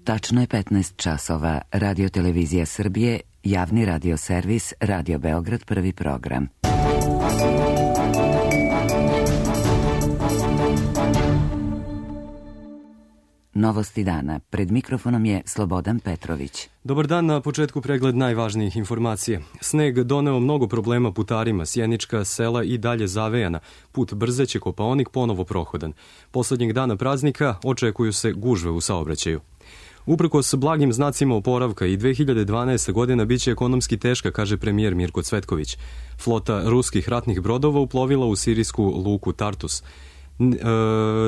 Tačno je 15 časova. Radio Televizija Srbije, javni radio servis, Radio Beograd, prvi program. Novosti dana. Pred mikrofonom je Slobodan Petrović. Dobar dan, na početku pregled najvažnijih informacija. Sneg doneo mnogo problema putarima, sjenička sela i dalje zavejana. Put Brzeće Kopaonik ponovo prohodan. Poslednjeg dana praznika očekuju se gužve u saobraćaju. Uprkos blagim znacima oporavka i 2012. godina biće ekonomski teška, kaže premijer Mirko Cvetković. Flota ruskih ratnih brodova uplovila u sirijsku luku Tartus.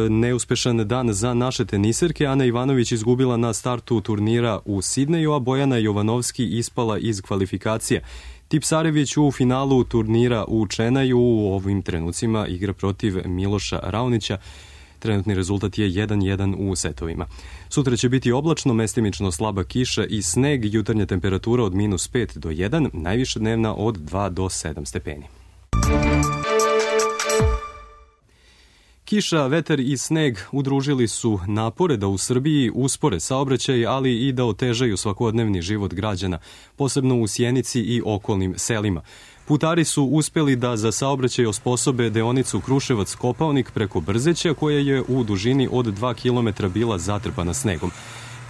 Neuspešan dan za naše teniserke. Ana Ivanović izgubila na startu turnira u Sidneju, a Bojana Jovanovski ispala iz kvalifikacija. Tipsarević u finalu turnira u Čenaju u ovim trenucima igra protiv Miloša Raonića. Trenutni rezultat je 1-1 u setovima. Sutra će biti oblačno, mestimično slaba kiša i sneg, jutarnja temperatura od -5 do 1, najviša dnevna od 2 do 7 stepeni. Kiša, vetar i sneg udružili su napore da u Srbiji uspore saobraćaj, ali i da otežaju svakodnevni život građana, posebno u Sjenici i okolnim selima. Putari su uspeli da za saobraćaj osposobe deonicu Kruševac-Kopaonik preko Brzeća, koja je u dužini od 2 km bila zatrpana snegom.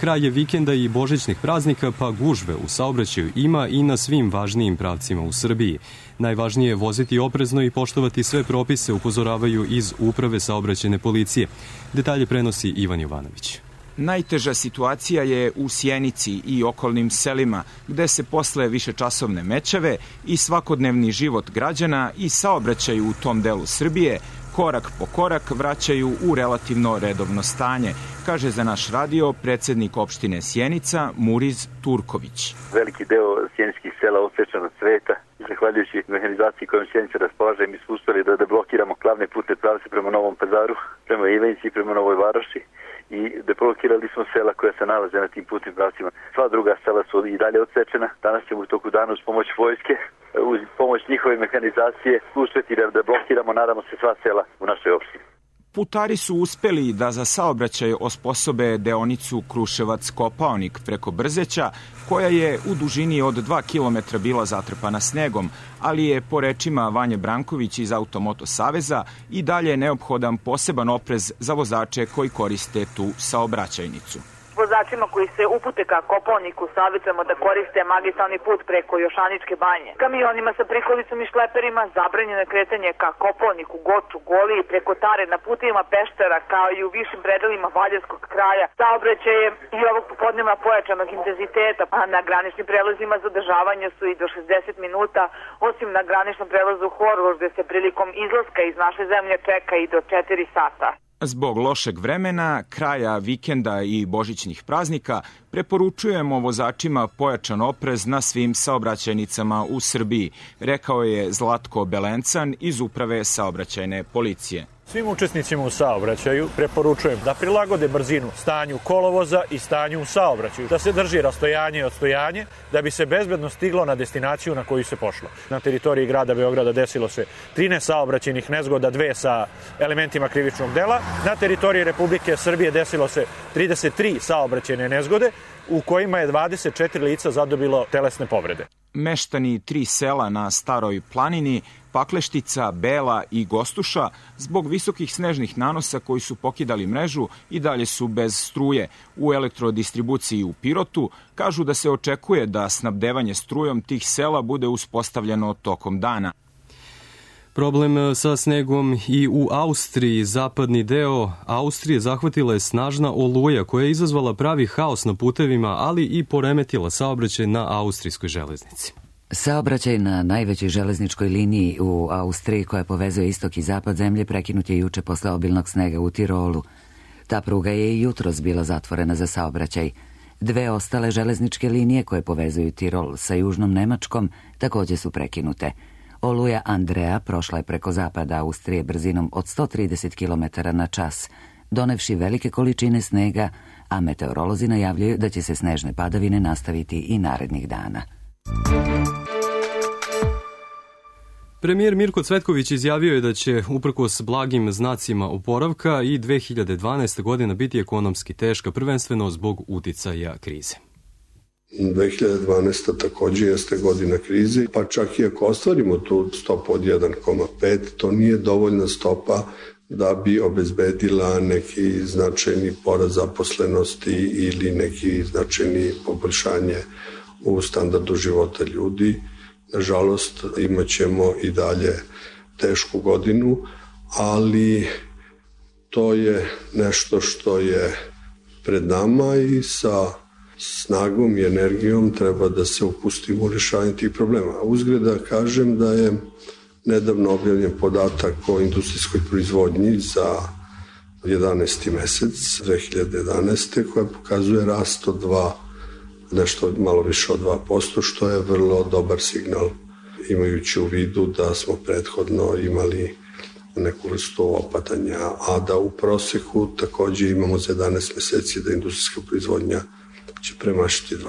Kraj je vikenda i božićnih praznika, pa gužve u saobraćaju ima i na svim važnijim pravcima u Srbiji. Najvažnije je voziti oprezno i poštovati sve propise, upozoravaju iz Uprave saobraćajne policije. Detalje prenosi Ivan Jovanović. Najteža situacija je u Sjenici i okolnim selima, gde se posle višečasovne mećave i svakodnevni život građana i saobraćaju u tom delu Srbije korak po korak vraćaju u relativno redovno stanje, kaže za naš radio predsednik opštine Sjenica Muriz Turković. Veliki deo sjeničkih sela odsečan od sveta. Zahvaljujući mehanizaciji kojom Sjenica raspolaže, mi smo uspeli da deblokiramo glavne putne pravce prema Novom Pazaru, prema Ivanjici i prema Novoj Varoši i deblokirali smo sela koja se nalaze na tim putnim pravcima. Sva druga sela su i dalje odsečena. Danas ćemo u toku dana uz pomoć vojske, uz pomoć njihove mehanizacije uspeti da deblokiramo, nadamo se, sva sela u našoj opštini. Putari su uspeli da za saobraćaj osposobe deonicu Kruševac-Kopaonik preko Brzeća, koja je u dužini od 2 km bila zatrpana snegom, ali je, po rečima Vanje Branković iz Automoto Saveza, i dalje neophodan poseban oprez za vozače koji koriste tu saobraćajnicu. Vozačima koji se upute ka Kopaoniku savjetujemo da koriste magistralni put preko Jošaničke banje. Kamionima sa prikolicom i šleperima zabranjeno je kretanje ka Kopaoniku, Goču, Goliji, preko Tare, na putovima Peštera, kao i u višim predelima Valjevskog kraja. Saobraćaj je i ovog popodneva pojačanog intenziteta, a na graničnim prelazima zadržavanja su i do 60 minuta, osim na graničnom prelazu Horgoš, gde se prilikom izlaska iz naše zemlje čeka i do 4 sata. Zbog lošeg vremena, kraja vikenda i božićnih praznika, preporučujemo vozačima pojačan oprez na svim saobraćajnicama u Srbiji, rekao je Zlatko Belencan iz Uprave saobraćajne policije. Svim učesnicima u saobraćaju preporučujem da prilagode brzinu stanju kolovoza i stanju u saobraćaju, da se drži rastojanje i odstojanje, da bi se bezbedno stiglo na destinaciju na koju se pošlo. Na teritoriji grada Beograda desilo se 13 saobraćajnih nezgoda, 2 sa elementima krivičnog dela. Na teritoriji Republike Srbije desilo se 33 saobraćajne nezgode, u kojima je 24 lica zadobilo telesne povrede. Meštani 3 sela na Staroj planini, Pakleštica, Bela i Gostuša, zbog visokih snežnih nanosa koji su pokidali mrežu i dalje su bez struje. U elektrodistribuciji u Pirotu kažu da se očekuje da snabdevanje strujom tih sela bude uspostavljeno tokom dana. Problem sa snegom i u Austriji. Zapadni deo Austrije zahvatila je snažna oluja koja je izazvala pravi haos na putevima, ali i poremetila saobraćaj na austrijskoj železnici. Saobraćaj na najvećoj železničkoj liniji u Austriji, koja povezuje istok i zapad zemlje, prekinut je juče posle obilnog snega u Tirolu. Ta pruga je i jutros bila zatvorena za saobraćaj. 2 ostale železničke linije koje povezuju Tirol sa južnom Nemačkom takođe su prekinute. Oluja Andrea prošla je preko zapada Austrije brzinom od 130 km na čas, donevši velike količine snega, a meteorolozi najavljaju da će se snežne padavine nastaviti i narednih dana. Premijer Mirko Cvetković izjavio je da će, uprkos blagim znacima oporavka, i 2012. godina biti ekonomski teška, prvenstveno zbog uticaja krize. 2012. takođe jeste godina krize, pa čak i ako ostvarimo tu stopu od 1,5, to nije dovoljna stopa da bi obezbedila neki značajni porast zaposlenosti ili neki značajni poboljšanje u standardu života ljudi. Nažalost, imat ćemo i dalje tešku godinu, ali to je nešto što je pred nama i sa snagom i energijom treba da se upustimo u rješavanje tih problema. Uzgred da kažem da je nedavno objavljen podatak o industrijskoj proizvodnji za 11. mesec 2011. koja pokazuje rast od nešto malo više od 2%, što je vrlo dobar signal, imajući u vidu da smo prethodno imali neku vrstu opadanja, a da u proseku takođe imamo za 11 meseci da industrijska proizvodnja će premašiti 2%.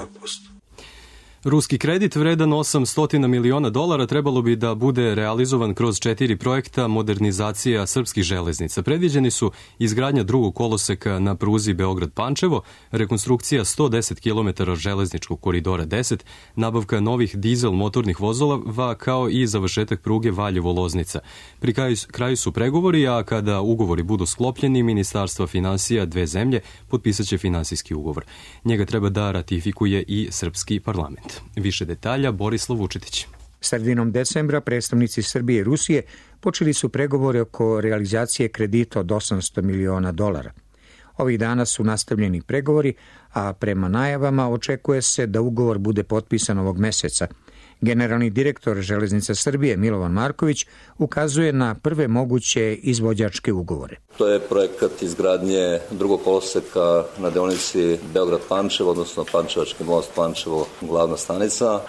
Ruski kredit vredan $800 miliona trebalo bi da bude realizovan kroz 4 projekta modernizacija srpskih železnica. Predviđeni su izgradnja drugog koloseka na pruzi Beograd-Pančevo, rekonstrukcija 110 km železničkog koridora 10, nabavka novih dizel motornih vozova, kao i završetak pruge Valjevo-Loznica. Pri kraju su pregovori, a kada ugovori budu sklopljeni, Ministarstva finansija dve zemlje potpisaće finansijski ugovor. Njega treba da ratifikuje i srpski parlament. Više detalja Borislav Vučetić. Sredinom decembra predstavnici Srbije i Rusije počeli su pregovore oko realizacije kredita od $800 miliona. Ovih dana su nastavljeni pregovori, a prema najavama očekuje se da ugovor bude potpisan ovog meseca. Generalni direktor Železnica Srbije Milovan Marković ukazuje na prve moguće izvođačke ugovore. To je projekat izgradnje drugog koloseka na deonici Beograd-Pančevo, odnosno Pančevački most Pančevo, glavna stanica.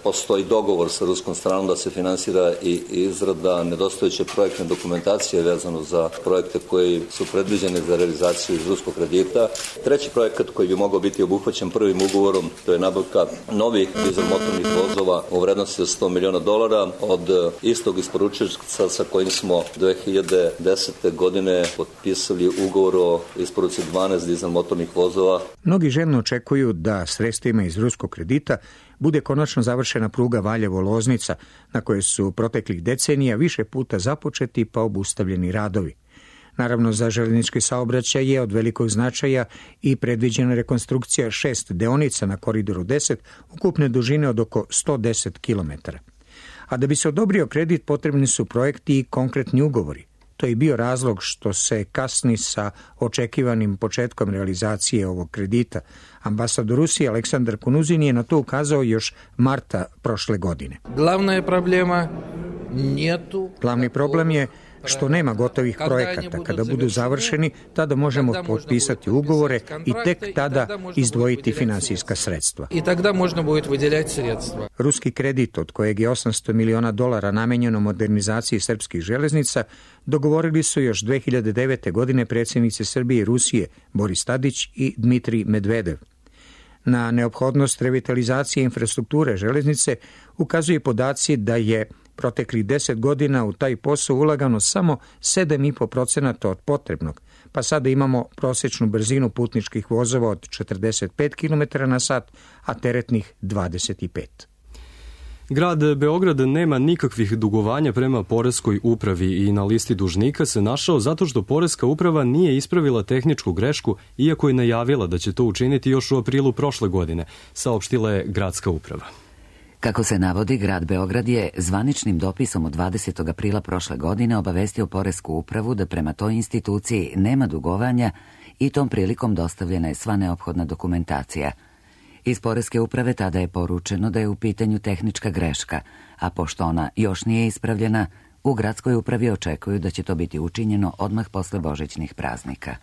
Postoji dogovor sa ruskom stranom da se finansira i izrada nedostajuće projektne dokumentacije vezano za projekte koji su predviđeni za realizaciju iz ruskog kredita. Treći projekat koji bi mogao biti obuhvaćen prvim ugovorom, to je nabavka novih dizel motornih vozova u vrednosti od $100 miliona od istog isporučioca sa kojim smo 2010. godine potpisali ugovor o isporuci 12 dizel motornih vozova. Mnogi željno očekuju da sredstvima iz ruskog kredita bude konačno završena pruga Valjevo-Loznica, na kojoj su proteklih decenija više puta započeti pa obustavljeni radovi. Naravno, za železnički saobraćaj je od velikog značaja i predviđena rekonstrukcija 6 deonica na koridoru 10, ukupne dužine od oko 110 km. A da bi se odobrio kredit, potrebni su projekti i konkretni ugovori. To je bio razlog što se kasni sa očekivanim početkom realizacije ovog kredita. Ambasador Rusije Aleksandar Kunuzin je na to ukazao još marta prošle godine. Glavni problem je što nema gotovih projekata. Kada budu završeni, tada možemo potpisati ugovore i tek tada izdvojiti finansijska sredstva. Ruski kredit, od kojeg je $800 miliona namenjeno modernizaciji srpskih železnica, dogovorili su još 2009. godine predsjednici Srbije i Rusije Boris Tadić i Dmitrij Medvedev. Na neophodnost revitalizacije infrastrukture železnice ukazuje podaci da je proteklih 10 godina u taj posao ulagano samo 7,5% od potrebnog, pa sada imamo prosječnu brzinu putničkih vozova od 45 km na sat, a teretnih 25. Grad Beograd nema nikakvih dugovanja prema poreskoj upravi i na listi dužnika se našao zato što poreska uprava nije ispravila tehničku grešku, iako je najavila da će to učiniti još u aprilu prošle godine, saopštila je gradska uprava. Kako se navodi, grad Beograd je zvaničnim dopisom od 20. aprila prošle godine obavestio poresku upravu da prema toj instituciji nema dugovanja i tom prilikom dostavljena je sva neophodna dokumentacija. Iz poreske uprave tada je poručeno da je u pitanju tehnička greška, a pošto ona još nije ispravljena, u gradskoj upravi očekuju da će to biti učinjeno odmah posle božićnih praznika.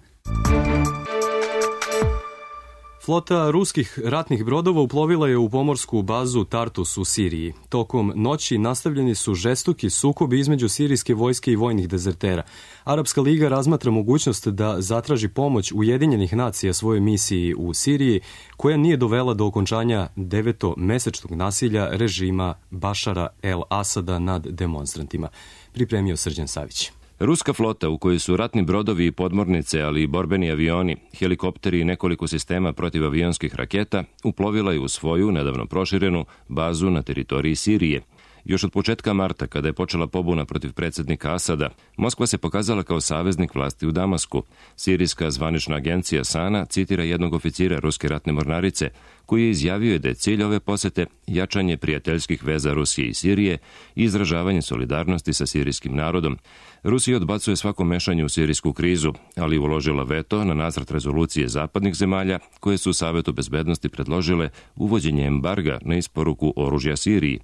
Flota ruskih ratnih brodova uplovila je u pomorsku bazu Tartus u Siriji. Tokom noći nastavljeni su žestoki sukobi između sirijske vojske i vojnih dezertera. Arapska liga razmatra mogućnost da zatraži pomoć Ujedinjenih nacija svojoj misiji u Siriji, koja nije dovela do okončanja 9-mesečnog nasilja režima Bašara el-Asada nad demonstrantima. Pripremio Srđan Savić. Ruska flota, u kojoj su ratni brodovi i podmornice, ali i borbeni avioni, helikopteri i nekoliko sistema protivavionskih raketa, uplovila je u svoju, nedavno proširenu, bazu na teritoriji Sirije. Još od početka marta, kada je počela pobuna protiv predsjednika Asada, Moskva se pokazala kao saveznik vlasti u Damasku. Sirijska zvanična agencija SANA citira jednog oficira ruske ratne mornarice, koji je izjavio da je cilj ove posete jačanje prijateljskih veza Rusije i Sirije i izražavanje solidarnosti sa sirijskim narodom. Rusija odbacuje svako mešanje u sirijsku krizu, ali uložila veto na nacrt rezolucije zapadnih zemalja, koje su Savetu bezbednosti predložile uvođenje embarga na isporuku oružja Siriji.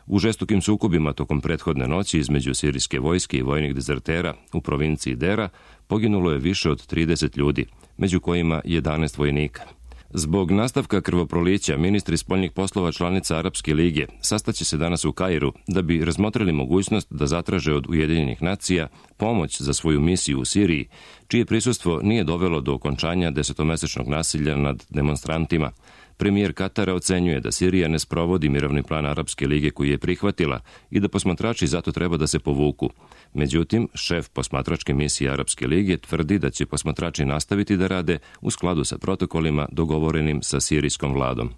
U žestokim sukobima tokom prethodne noći između sirijske vojske i vojnih dezertera u provinciji Dera poginulo je više od 30 ljudi, među kojima 11 vojnika. Zbog nastavka krvoprolića, ministri spoljnih poslova članica Arapske lige sastaće se danas u Kairu da bi razmotrili mogućnost da zatraže od Ujedinjenih nacija pomoć za svoju misiju u Siriji, čije prisustvo nije dovelo do okončanja 10-mesečnog nasilja nad demonstrantima. Premijer Katara ocenjuje da Sirija ne sprovodi mirovni plan Arapske lige koji je prihvatila i da posmatrači zato treba da se povuku. Međutim, šef posmatračke misije Arapske lige tvrdi da će posmatrači nastaviti da rade u skladu sa protokolima dogovorenim sa sirijskom vladom.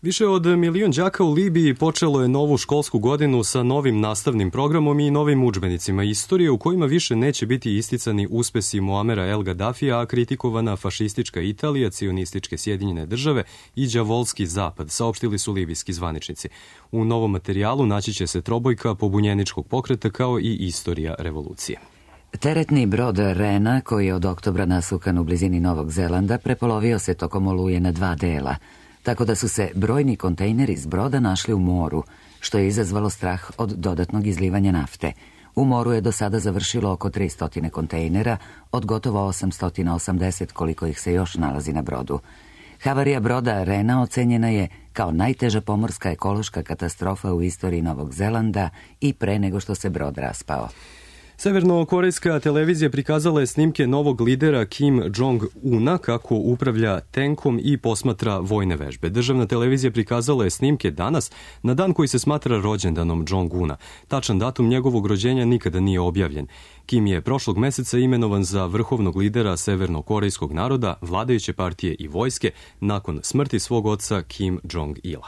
Više od 1 milion đaka u Libiji počelo je novu školsku godinu sa novim nastavnim programom i novim udžbenicima istorije u kojima više neće biti isticani uspesi Muamera el Gaddafija, a kritikovana fašistička Italija, cionističke Sjedinjene države i đavolski zapad, saopštili su libijski zvaničnici. U novom materijalu naći će se trobojka pobunjeničkog pokreta kao i istorija revolucije. Teretni brod Rena, koji je od oktobra nasukan u blizini Novog Zelanda, prepolovio se tokom oluje na 2 dela, tako da su se brojni kontejneri s broda našli u moru, što je izazvalo strah od dodatnog izlivanja nafte. U moru je do sada završilo oko 300 kontejnera, od gotovo 880 koliko ih se još nalazi na brodu. Havarija broda Rena ocenjena je kao najteža pomorska ekološka katastrofa u istoriji Novog Zelanda i pre nego što se brod raspao. Severno-korejska televizija prikazala je snimke novog lidera Kim Jong-una kako upravlja tenkom i posmatra vojne vežbe. Državna televizija prikazala je snimke danas, na dan koji se smatra rođendanom Jong-una. Tačan datum njegovog rođenja nikada nije objavljen. Kim je prošlog meseca imenovan za vrhovnog lidera severno-korejskog naroda, vladajuće partije i vojske, nakon smrti svog oca Kim Jong-ila.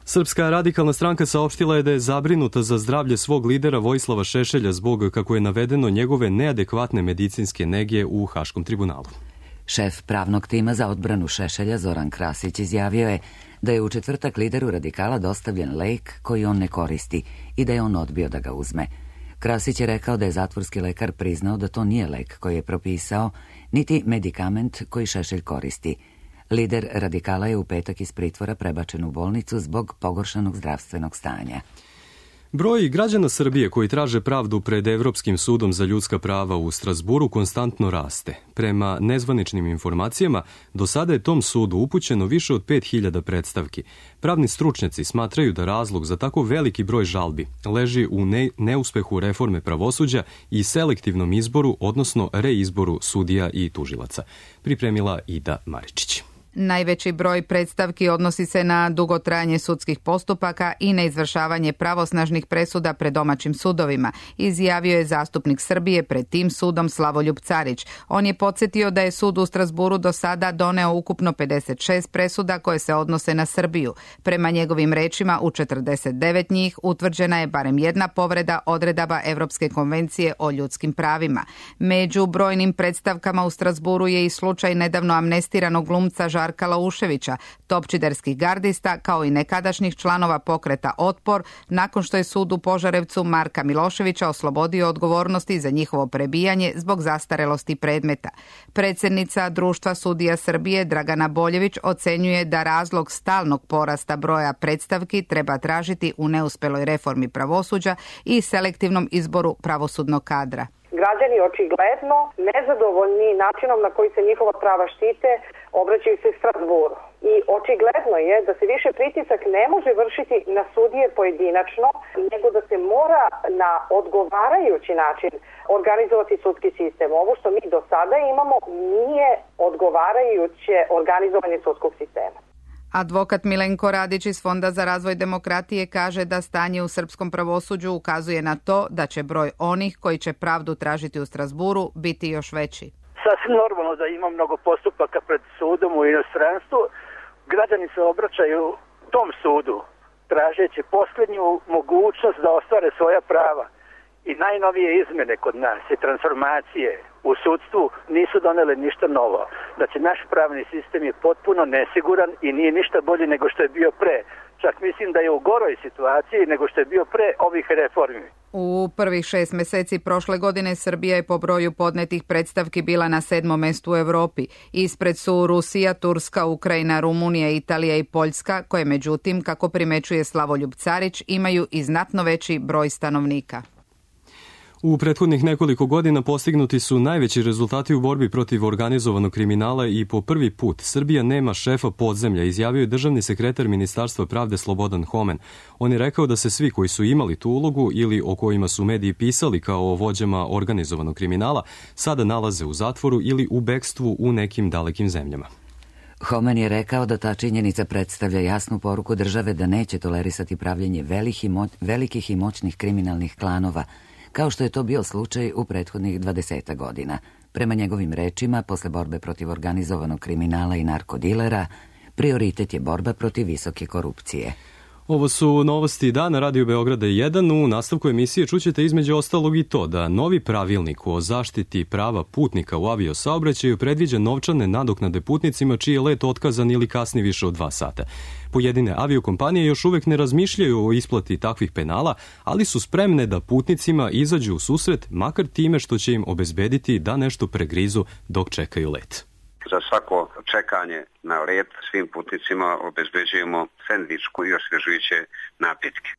Srpska radikalna stranka saopštila je da je zabrinuta za zdravlje svog lidera Vojislava Šešelja zbog, kako je navedeno, njegove neadekvatne medicinske nege u Haškom tribunalu. Šef pravnog tima za odbranu Šešelja, Zoran Krasić, izjavio je da je u četvrtak lideru radikala dostavljen lek koji on ne koristi i da je on odbio da ga uzme. Krasić je rekao da je zatvorski lekar priznao da to nije lek koji je propisao, niti medikament koji Šešelj koristi. Lider radikala je u petak iz pritvora prebačen u bolnicu zbog pogoršanog zdravstvenog stanja. Broj građana Srbije koji traže pravdu pred Evropskim sudom za ljudska prava u Strazburu konstantno raste. Prema nezvaničnim informacijama, do sada je tom sudu upućeno više od 5000 predstavki. Pravni stručnjaci smatraju da razlog za tako veliki broj žalbi leži u neuspehu reforme pravosuđa i selektivnom izboru, odnosno reizboru sudija i tužilaca. Pripremila Ida Maričić. Najveći broj predstavki odnosi se na dugotrajanje sudskih postupaka i neizvršavanje pravosnažnih presuda pred domaćim sudovima, izjavio je zastupnik Srbije pred tim sudom Slavoljub Carić. On je podsjetio da je sud u Strazburu do sada doneo ukupno 56 presuda koje se odnose na Srbiju. Prema njegovim rečima, u 49 njih utvrđena je barem jedna povreda odredaba Evropske konvencije o ljudskim pravima. Među brojnim predstavkama u Strazburu je i slučaj nedavno amnestiranog glumca Žarka Lauševića, topčiderskih gardista, kao i nekadašnjih članova pokreta Otpor, nakon što je sud u Požarevcu Marka Miloševića oslobodio odgovornosti za njihovo prebijanje zbog zastarelosti predmeta. Predsjednica Društva sudija Srbije Dragana Boljević ocenjuje da razlog stalnog porasta broja predstavki treba tražiti u neuspeloj reformi pravosuđa i selektivnom izboru pravosudnog kadra. građani očigledno nezadovoljni načinom na koji se njihova prava štite, obraćaju se Strasburu. I očigledno je da se više pritisak ne može vršiti na sudije pojedinačno, nego da se mora na odgovarajući način organizovati sudski sistem. Ovo što mi do sada imamo nije odgovarajuće organizovanje sudskog sistema. Advokat Milenko Radić iz Fonda za razvoj demokratije kaže da stanje u srpskom pravosuđu ukazuje na to da će broj onih koji će pravdu tražiti u Strasburu biti još veći. Sasvim normalno da ima mnogo postupaka pred sudom u inostranstvu. Građani se obraćaju tom sudu tražeći posljednju mogućnost da ostvare svoja prava. I najnovije izmjene kod nas i transformacije u sudstvu nisu donele ništa novo. Znači, naš pravni sistem je potpuno nesiguran i nije ništa bolji nego što je bio pre. Čak mislim da je u goroj situaciji nego što je bio pre ovih reformi. U prvih 6 meseci prošle godine Srbija je po broju podnetih predstavki bila na 7. mestu u Evropi. Ispred su Rusija, Turska, Ukrajina, Rumunija, Italija i Poljska, koje međutim, kako primećuje Slavoljub Carić, imaju i znatno veći broj stanovnika. U prethodnih nekoliko godina postignuti su najveći rezultati u borbi protiv organizovanog kriminala i po prvi put Srbija nema šefa podzemlja, izjavio je državni sekretar Ministarstva pravde Slobodan Homen. On je rekao da se svi koji su imali tu ulogu ili o kojima su mediji pisali kao o vođama organizovanog kriminala sada nalaze u zatvoru ili u bekstvu u nekim dalekim zemljama. Homen je rekao da ta činjenica predstavlja jasnu poruku države da neće tolerisati pravljenje velikih i moćnih kriminalnih klanova, kao što je to bio slučaj u prethodnih 20 godina. Prema njegovim rečima, posle borbe protiv organizovanog kriminala i narkodilera, prioritet je borba protiv visoke korupcije. Ovo su novosti dana Radio Beograda 1. U nastavku emisije čućete između ostalog i to da novi pravilnik o zaštiti prava putnika u aviosaobraćaju predviđa novčane nadoknade putnicima čiji je let otkazan ili kasni više od 2 sata. Pojedine aviokompanije još uvek ne razmišljaju o isplati takvih penala, ali su spremne da putnicima izađu u susret, makar time što će im obezbediti da nešto pregrizu dok čekaju let. Za svako čekanje na let svim putnicima obezbeđujemo sendvičku i osvežujuće napitke.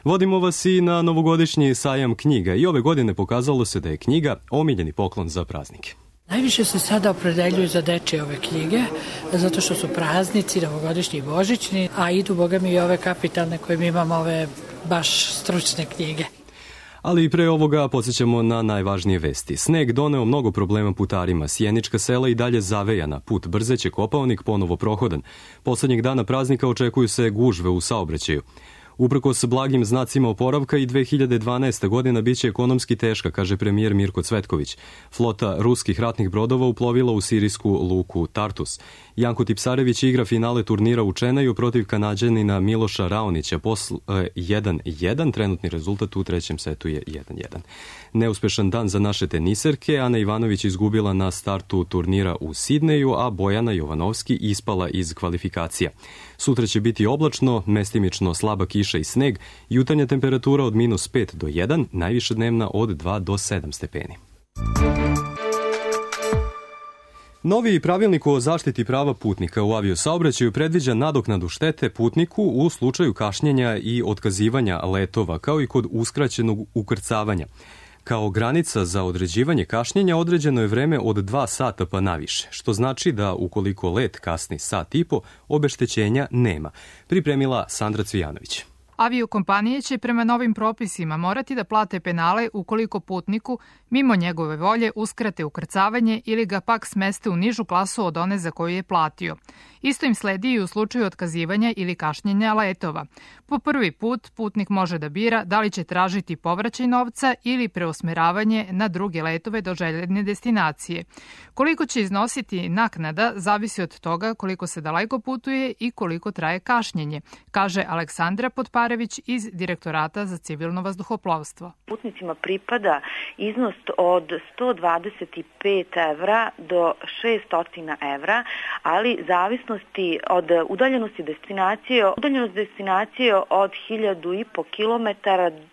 Vodimo vas i na novogodišnji sajam knjiga i ove godine pokazalo se da je knjiga omiljeni poklon za praznike. Najviše se sada opredeljuju za dečje ove knjige, zato što su praznici, novogodišnji i božićni, a idu, boga mi, i ove kapitalne koje mi imamo, ove baš stručne knjige. Ali i pre ovoga podsjećamo na najvažnije vesti. Sneg doneo mnogo problema putarima. Sjenička sela i dalje zavejana. Put Brzeće Kopaonik ponovo prohodan. Poslednjeg dana praznika očekuju se gužve u saobraćaju. Uprkos blagim znacima oporavka i 2012. godina biće ekonomski teška, kaže premijer Mirko Cvetković. Flota ruskih ratnih brodova uplovila u sirijsku luku Tartus. Janko Tipsarević igra finale turnira u Čenaju protiv Kanađanina Miloša Raonića. Posle 1-1, trenutni rezultat u trećem setu je 1-1. Neuspešan dan za naše teniserke. Ana Ivanović izgubila na startu turnira u Sidneju, a Bojana Jovanovski ispala iz kvalifikacija. Sutra će biti oblačno, mestimično slaba kiša i sneg, jutarnja temperatura od -5 do 1, najviša dnevna od 2 do 7 stepeni. Novi pravilnik o zaštiti prava putnika u aviosaobraćaju predviđa nadoknadu štete putniku u slučaju kašnjenja i otkazivanja letova, kao i kod uskraćenog ukrcavanja. Kao granica za određivanje kašnjenja određeno je vreme od 2 sata pa naviše, što znači da ukoliko let kasni sat i po, obeštećenja nema. Pripremila Sandra Cvijanović. Aviokompanije će prema novim propisima morati da plate penale ukoliko putniku, mimo njegove volje, uskrate ukrcavanje ili ga pak smeste u nižu klasu od one za koju je platio. Isto im sledi i u slučaju otkazivanja ili kašnjenja letova. Po prvi put putnik može da bira da li će tražiti povraćaj novca ili preusmeravanje na druge letove do željene destinacije. Koliko će iznositi naknada zavisi od toga koliko se daleko putuje i koliko traje kašnjenje, kaže Aleksandra Potparević iz Direktorata za civilno vazduhoplovstvo. Putnicima pripada iznos od 125 evra do 600 evra, ali zavisnosti od udaljenosti destinacije, od 1.500 km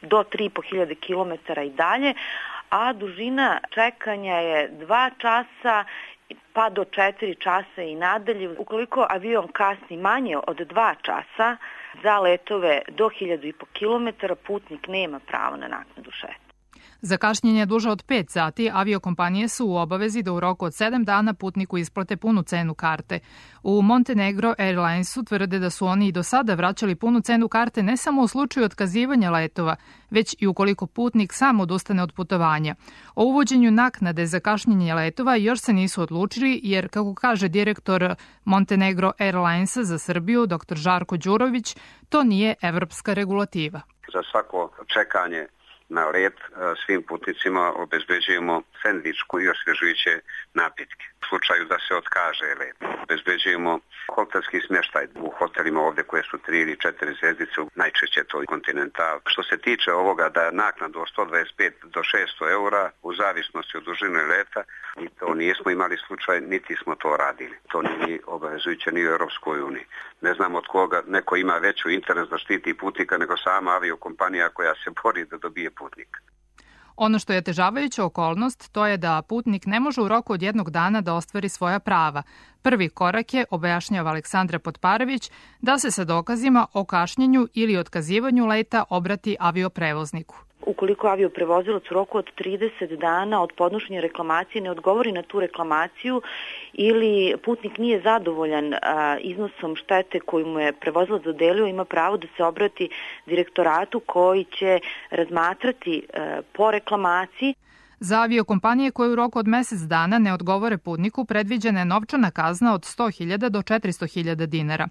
do 3.500 km i dalje, a dužina čekanja je 2 časa pa do 4 časa i nadalje. Ukoliko avion kasni manje od 2 časa za letove do 1.500 km, putnik nema pravo na naknadu štete. Za kašnjenje duže od 5 sati aviokompanije su u obavezi da u roku od 7 dana putniku isplate punu cenu karte. U Montenegro Airlinesu tvrde da su oni i do sada vraćali punu cenu karte ne samo u slučaju otkazivanja letova, već i ukoliko putnik sam odustane od putovanja. O uvođenju naknade za kašnjenje letova još se nisu odlučili jer, kako kaže direktor Montenegro Airlinesa za Srbiju, dr. Žarko Đurović, to nije evropska regulativa. Za svako čekanje na let svim putnicima obezbeđujemo sendvičku i osvježujuće napitke. U slučaju da se otkaže let, obezbeđujemo hotelski smještaj u hotelima ovdje koje su 3 ili 4 zvjezdice, najčešće to Continental. Što se tiče ovoga da naknadu od 125 do 600 eura u zavisnosti od dužine leta, i to nismo imali slučaj, niti smo to radili. To nije obavezujuće ni u Europskoj uniji. Ne znam od koga neko ima veću interes da štiti putnika nego sama aviokompanija koja se bori da dobije putnika. Ono što je otežavajuća okolnost, to je da putnik ne može u roku od 1 dana da ostvari svoja prava. Prvi korak je, objašnjava Aleksandra Potparević, da se sa dokazima o kašnjenju ili otkazivanju leta obrati avioprevozniku. Ukoliko avioprevozilac u roku od 30 dana od podnošenja reklamacije ne odgovori na tu reklamaciju ili putnik nije zadovoljan iznosom štete koju mu je prevozilac dodelio, ima pravo da se obrati direktoratu koji će razmatrati po reklamaciji. Za aviokompanije koje u roku od mjesec dana ne odgovore putniku predviđena je novčana kazna od 100.000 do 400.000 dinara.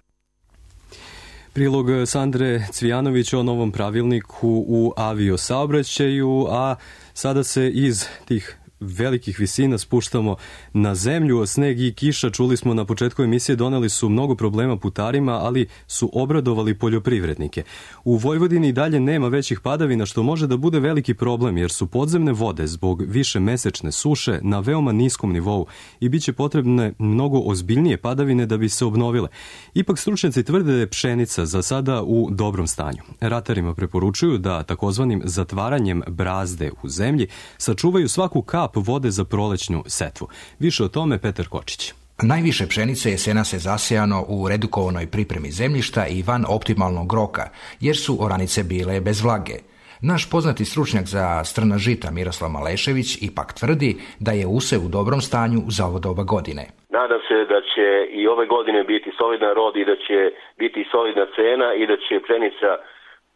Prilog Sandre Cvijanović o novom pravilniku u aviosaobraćaju, a sada se iz tih velikih visina spuštamo na zemlju. Sneg i kiša, čuli smo na početku emisije, doneli su mnogo problema putarima, ali su obradovali poljoprivrednike. U Vojvodini i dalje nema većih padavina, što može da bude veliki problem, jer su podzemne vode zbog više mesečne suše na veoma niskom nivou i bit će potrebne mnogo ozbiljnije padavine da bi se obnovile. Ipak stručnjaci tvrde da je pšenica za sada u dobrom stanju. Ratarima preporučuju da takozvanim zatvaranjem brazde u zemlji sačuvaju svaku kap vode za prolećnu setvu. Više o tome Petar Kočić. Najviše pšenice jesena se zasejano u redukovanoj pripremi zemljišta i van optimalnog roka, jer su oranice bile bez vlage. Naš poznati stručnjak za strna žita Miroslav Malešević ipak tvrdi da je usev u dobrom stanju za ovo doba godine. Nadam se da će i ove godine biti solidan rod i da će biti solidna cena i da će pšenica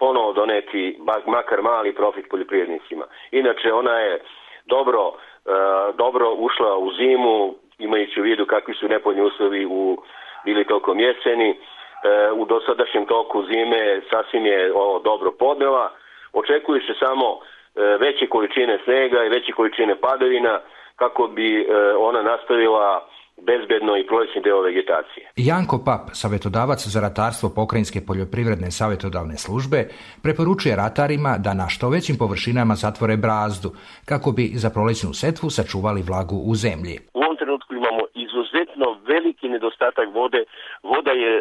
ponovo doneti makar mali profit poljoprivrednicima. Inače, ona je dobro ušla u zimu, imajući u vidu kakvi su nepovoljni uslovi bili tokom jeseni. U dosadašnjem toku zime sasvim je ovo dobro podnela. Očekuju se samo veće količine snega i veće količine padavina kako bi ona nastavila bezbedno i prolećni deo vegetacije. Janko Pap, savjetodavac za ratarstvo Pokrajinske poljoprivredne savjetodavne službe, preporučuje ratarima da na što većim površinama zatvore brazdu kako bi za prolećnu setvu sačuvali vlagu u zemlji. U ovom trenutku imamo izuzetno veliki nedostatak vode. Voda je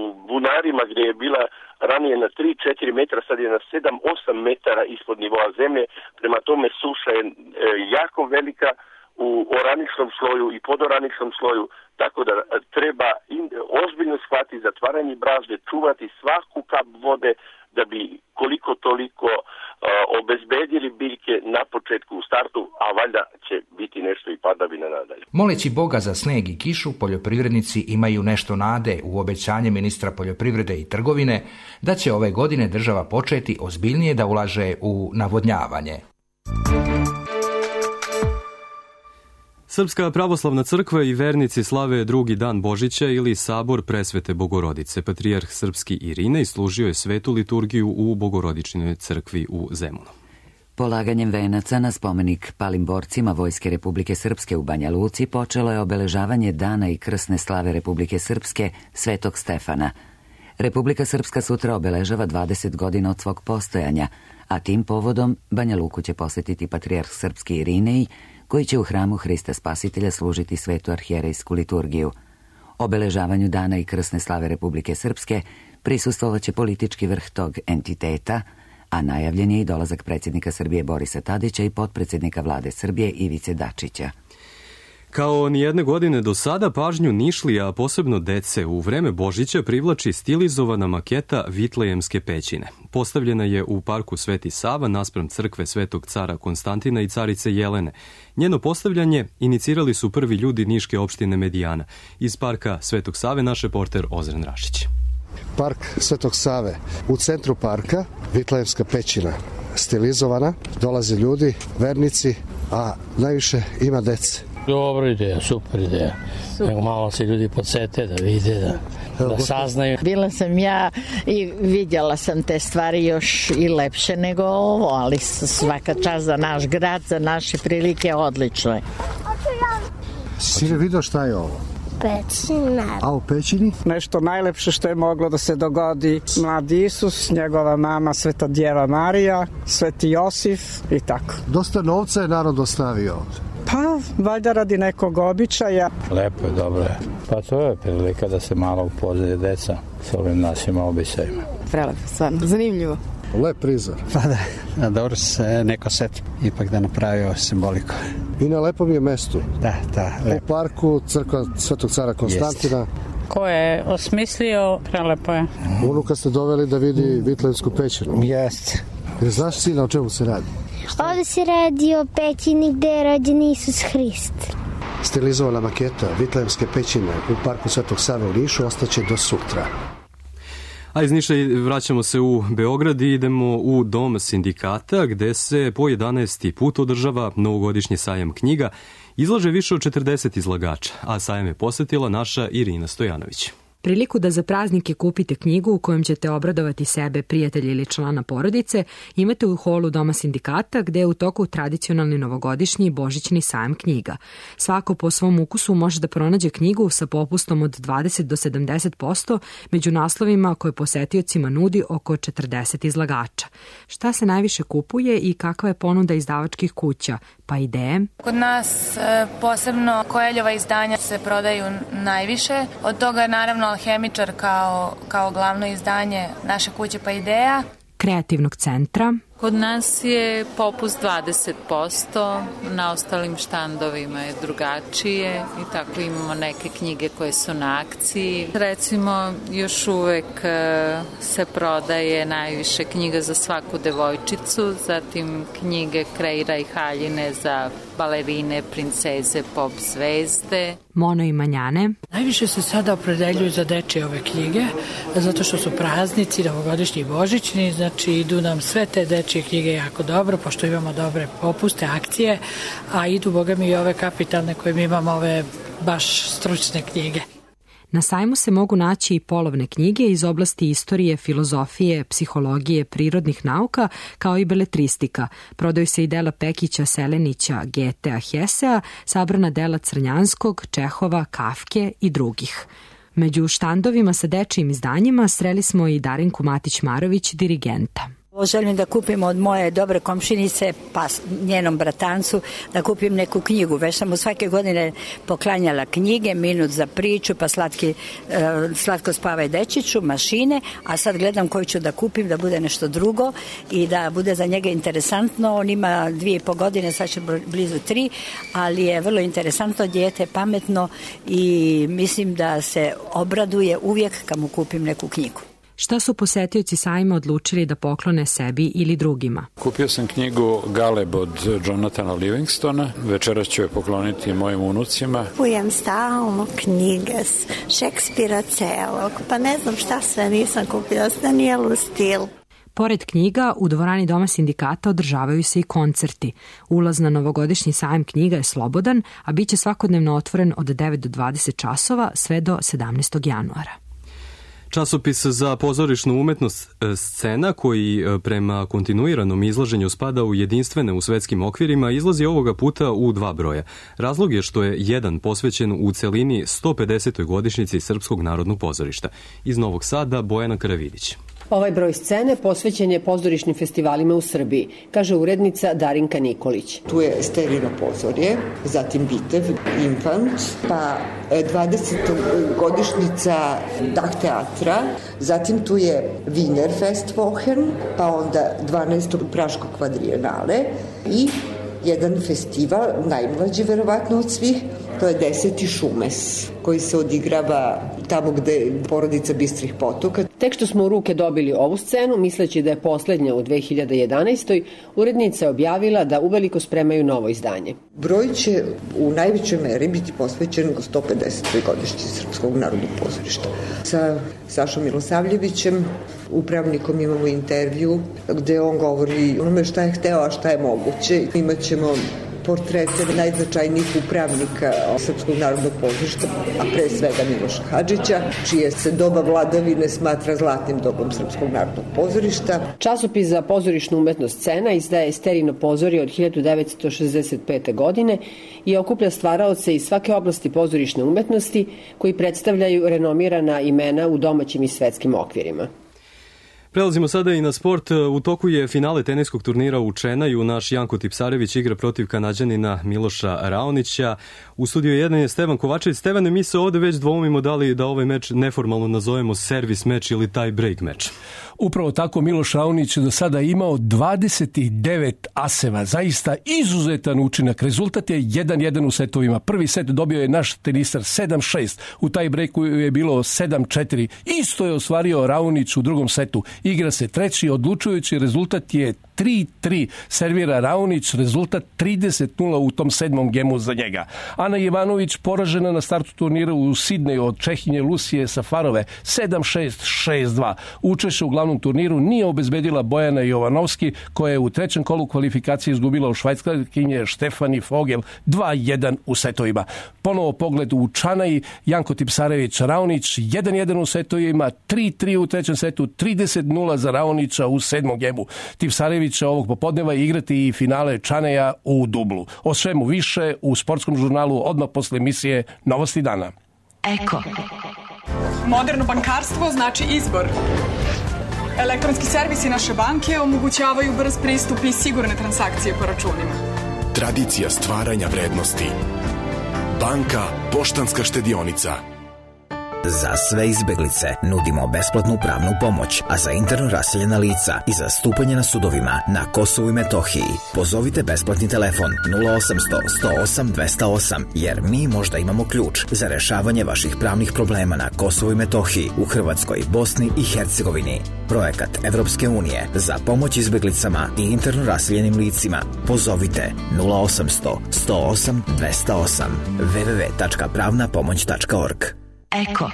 u bunarima gdje je bila ranije na 3-4 metra, sad je na 7-8 metara ispod nivoa zemlje. Prema tome suša je jako velika u oraničnom sloju i podoraničnom sloju, tako da treba ozbiljno shvatiti zatvaranje brazde, čuvati svaku kap vode da bi koliko toliko obezbedili biljke na početku u startu, a valjda će biti nešto i padavina nadalje. Moleći Boga za sneg i kišu, poljoprivrednici imaju nešto nade u obećanje ministra poljoprivrede i trgovine da će ove godine država početi ozbiljnije da ulaže u navodnjavanje. Srpska pravoslavna crkva i vernici slave drugi dan Božića ili sabor Presvete Bogorodice. Patrijarh srpski Irinej služio je svetu liturgiju u Bogorodičnoj crkvi u Zemunu. Polaganjem venaca na spomenik palim borcima Vojske Republike Srpske u Banja Luci počelo je obeležavanje dana i krsne slave Republike Srpske Svetog Stefana. Republika Srpska sutra obeležava 20 godina od svog postojanja, a tim povodom Banja Luku će posjetiti patrijarh srpski Irinej, koji će u hramu Hrista Spasitelja služiti svetu arhijerejsku liturgiju. Obeležavanju dana i krsne slave Republike Srpske prisustvovaće politički vrh tog entiteta, a najavljen je i dolazak predsjednika Srbije Borisa Tadića i potpredsjednika vlade Srbije Ivice Dačića. Kao nijedne godine do sada, pažnju Nišlija, a posebno dece, u vreme Božića privlači stilizovana maketa Vitlejemske pećine. Postavljena je u parku Sveti Sava naspram crkve Svetog cara Konstantina i carice Jelene. Njeno postavljanje inicirali su prvi ljudi niške opštine Medijana. Iz parka Svetog Save naš reporter Ozren Rašić. Park Svetog Save. U centru parka Vitlejemska pećina. Stilizovana, dolaze ljudi, vernici, a najviše ima dece. Dobra ideja, super ideja. Nego malo se ljudi podsete da vide, da saznaju. Bila sam ja i vidjela sam te stvari još i lepše nego ovo, ali svaka čast za naš grad, za naše prilike, odlično je. Sine, vidio šta je ovo? Pećina. A u pećini? Nešto najlepše što je moglo da se dogodi. Mladi Isus, njegova mama Sveta Djeva Marija, Sveti Josif i tako. Dosta novca je narod ostavio ovdje. Pa, valjda radi nekog običaja. Lepo je, dobro je. Pa to je prilika da se malo upoznaje deca s ovim našim običajima. Prelepo, stvarno, zanimljivo. Lep prizor. Pa da, dobro se neko seti ipak da napravio simboliku. I na lepom je mestu. Da, lepo. U parku crkva Svetog cara Konstantina. Jest. Ko je osmislio, prelepo je. Unuka ste doveli da vidi Vitlejemsku pećinu. Jeste. Jer znaš, sina, o čemu se radi? Ovdje se radi o pećini gde je rođen Isus Hrist. Stilizovana maketa Vitlejemske pećine u parku Svetog Save u Nišu ostaće do sutra. A iz Niša vraćamo se u Beograd i idemo u Dom sindikata gde se po 11. put održava novogodišnji sajam knjiga. Izlaže više od 40 izlagača, a sajam je posetila naša Irina Stojanović. Priliku da za praznike kupite knjigu u kojom ćete obradovati sebe, prijatelja ili člana porodice imate u holu Doma sindikata gde je u toku tradicionalni novogodišnji i božićni sajam knjiga. Svako po svom ukusu može da pronađe knjigu sa popustom od 20 do 70% među naslovima koje posetiocima nudi oko 40 izlagača. Šta se najviše kupuje i kakva je ponuda izdavačkih kuća? Pa ideje? Kod nas posebno Koeljova izdanja se prodaju najviše. Od toga je naravno Alhemičar kao glavno izdanje naše kuće Pa Ideja. Kreativnog centra. Kod nas je popust 20%, na ostalim štandovima je drugačije i tako imamo neke knjige koje su na akciji. Recimo, još uvek se prodaje najviše knjiga za svaku devojčicu, zatim knjige Kreira i Haljine za balerine, princeze, pop zvezde. Mono i Manjane. Najviše se sada opredeljuju za dečje ove knjige, zato što su praznici, novogodišnji i božićni, znači idu nam sve te dečje knjige jako dobro, pošto imamo dobre popuste, akcije, a idu, boga mi, i ove kapitalne koje mi imamo, ove baš stručne knjige. Na sajmu se mogu naći i polovne knjige iz oblasti istorije, filozofije, psihologije, prirodnih nauka, kao i beletristika. Prodaju se i dela Pekića, Selenića, Getea, Hesea, sabrana dela Crnjanskog, Čehova, Kafke i drugih. Među štandovima sa dečijim izdanjima sreli smo i Darinku Matić-Marović, dirigenta. Želim da kupim od moje dobre komšinice, pa njenom bratancu, da kupim neku knjigu. Već sam mu svake godine poklanjala knjige, Minut za priču, pa Slatko spavaj dečiću, Mašine, a sad gledam koju ću da kupim, da bude nešto drugo i da bude za njega interesantno. On ima 2,5 godine, sad će blizu 3, ali je vrlo interesantno dijete, pametno i mislim da se obraduje uvijek kad mu kupim neku knjigu. Šta su posetioci sajma odlučili da poklone sebi ili drugima? Kupio sam knjigu Galeb od Jonathana Livingstona. Večeras ću je pokloniti mojim unucima. Kupujem stalno knjige Šekspira celog, pa ne znam šta sve nisam kupila, Danielu Stil. Pored knjiga, u dvorani Doma sindikata održavaju se i koncerti. Ulaz na novogodišnji sajam knjiga je slobodan, a bit će svakodnevno otvoren od 9 do 20 časova sve do 17. januara. Časopis za pozorišnu umetnost Scena, koji prema kontinuiranom izlaženju spada u jedinstvene u svetskim okvirima, izlazi ovoga puta u 2 broja. Razlog je što je jedan posvećen u celini 150. godišnjici Srpskog narodnog pozorišta. Iz Novog Sada, Bojana Karavidić. Ovaj broj Scene posvećen je pozorišnim festivalima u Srbiji, kaže urednica Darinka Nikolić. Tu je Sterino pozorje, zatim Bitev, Infant, pa 20. godišnjica Dah teatra, zatim tu je Wiener Festwochen, pa onda 12. Praško kvadrijenale i jedan festival, najmlađi verovatno od svih, To je 10. Šumes koji se odigrava tamo gde je porodica Bistrih potoka. Tek što smo u ruke dobili ovu scenu, misleći da je poslednja u 2011. urednica je objavila da uveliko spremaju novo izdanje. Broj će u najvećoj meri biti posvećen 150. godišnjici Srpskog narodnog pozorišta. Sa Sašom Milosavljevićem, upravnikom, imamo intervju gde on govori onome šta je hteo, a šta je moguće. Imaćemo portrete najznačajnijih upravnika Srpskog narodnog pozorišta, a pre svega Miloša Hadžića, čije se doba vladavine smatra zlatnim dobom Srpskog narodnog pozorišta. Časopis za pozorišnu umetnost Scena izdaje Sterino pozorje od 1965. godine i okuplja stvaraoce iz svake oblasti pozorišne umetnosti koji predstavljaju renomirana imena u domaćim i svetskim okvirima. Prelazimo sada i na sport. U toku je finale teniskog turnira u Čenaju. Naš Janko Tipsarević igra protiv Kanađanina Miloša Raonića. U studiju 1 je Stevan Kovačević. Stevane, mi se ovde već dvoumimo da li da ovaj meč neformalno nazovemo servis meč ili tie break meč. Upravo tako, Miloš Raonić do sada imao 29 aseva. Zaista izuzetan učinak. Rezultat je 1-1 u setovima. Prvi set dobio je naš tenisar 7-6. U taj breaku je bilo 7-4. Isto je ostvario Raonić u drugom setu. Igra se treći, odlučujući rezultat je 3-3. Servira Raonić, rezultat 30-0 u tom 7. gemu za njega. Ana Ivanović poražena na startu turnira u Sidneju od Čehinje Lucije Safarove 7-6, 6-2. Učešće u glavnom turniru nije obezbedila Bojana Jovanovski, koja je u trećem kolu kvalifikacije izgubila u Švajcarkinje Štefani Fogel 2-1 u setovima. Ponovo pogled u Čanaji, Janko Tipsarević Raonić 1-1 u setovima, 3-3 u trećem setu, 30-0 za Raonića u 7. gemu. Tipsarević će ovog popodneva igrati i finale Čaneja u dublu. O svemu više u sportskom žurnalu odmah posle emisije Novosti dana. Eko. Moderno bankarstvo znači izbor. Elektronski servisi naše banke omogućavaju brz pristup i sigurne transakcije po računima. Tradicija stvaranja vrednosti. Banka Poštanska štedionica. Za sve izbeglice nudimo besplatnu pravnu pomoć, a za interno raseljena lica i zastupanje na sudovima na Kosovu i Metohiji pozovite besplatni telefon 0800 108 208, jer mi možda imamo ključ za rešavanje vaših pravnih problema na Kosovu i Metohiji, u Hrvatskoj, Bosni i Hercegovini. Projekat Evropske unije za pomoć izbeglicama i interno raseljenim licima. Pozovite 0800 108 208 www.pravnapomoć.org. Eko.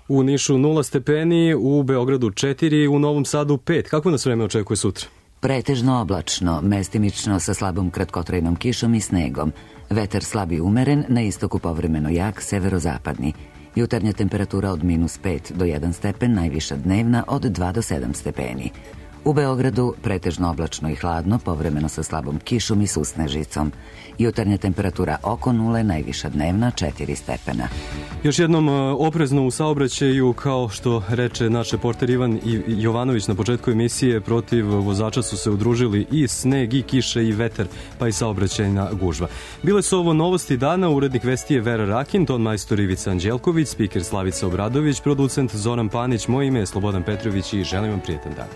U Nišu 0 stepeni, u Beogradu 4, u Novom Sadu 5. Kako nas vreme očekuje sutra? Pretežno oblačno, mestimično sa slabom kratkotrajnom kišom i snegom. Vetar slab i umeren, na istoku povremeno jak, severozapadni. Jutarnja temperatura od -5 do 1 stepen, najviša dnevna od 2 do 7 stepeni. U Beogradu pretežno oblačno i hladno, povremeno sa slabom kišom i susnežicom. Jutarnja temperatura oko 0, najviša dnevna 4 stepena. Još jednom oprezno u saobraćaju, kao što reče naš reporter Ivan Jovanović na početku emisije, protiv vozača su se udružili i sneg, i kiša, i vetar, pa i saobraćajna gužva. Bile su ovo Novosti dana, urednik vesti je Vera Rakin, ton majstor Ivica Anđelković, spiker Slavica Obradović, producent Zoran Panić, moje ime je Slobodan Petrović i želim vam prijetan dan.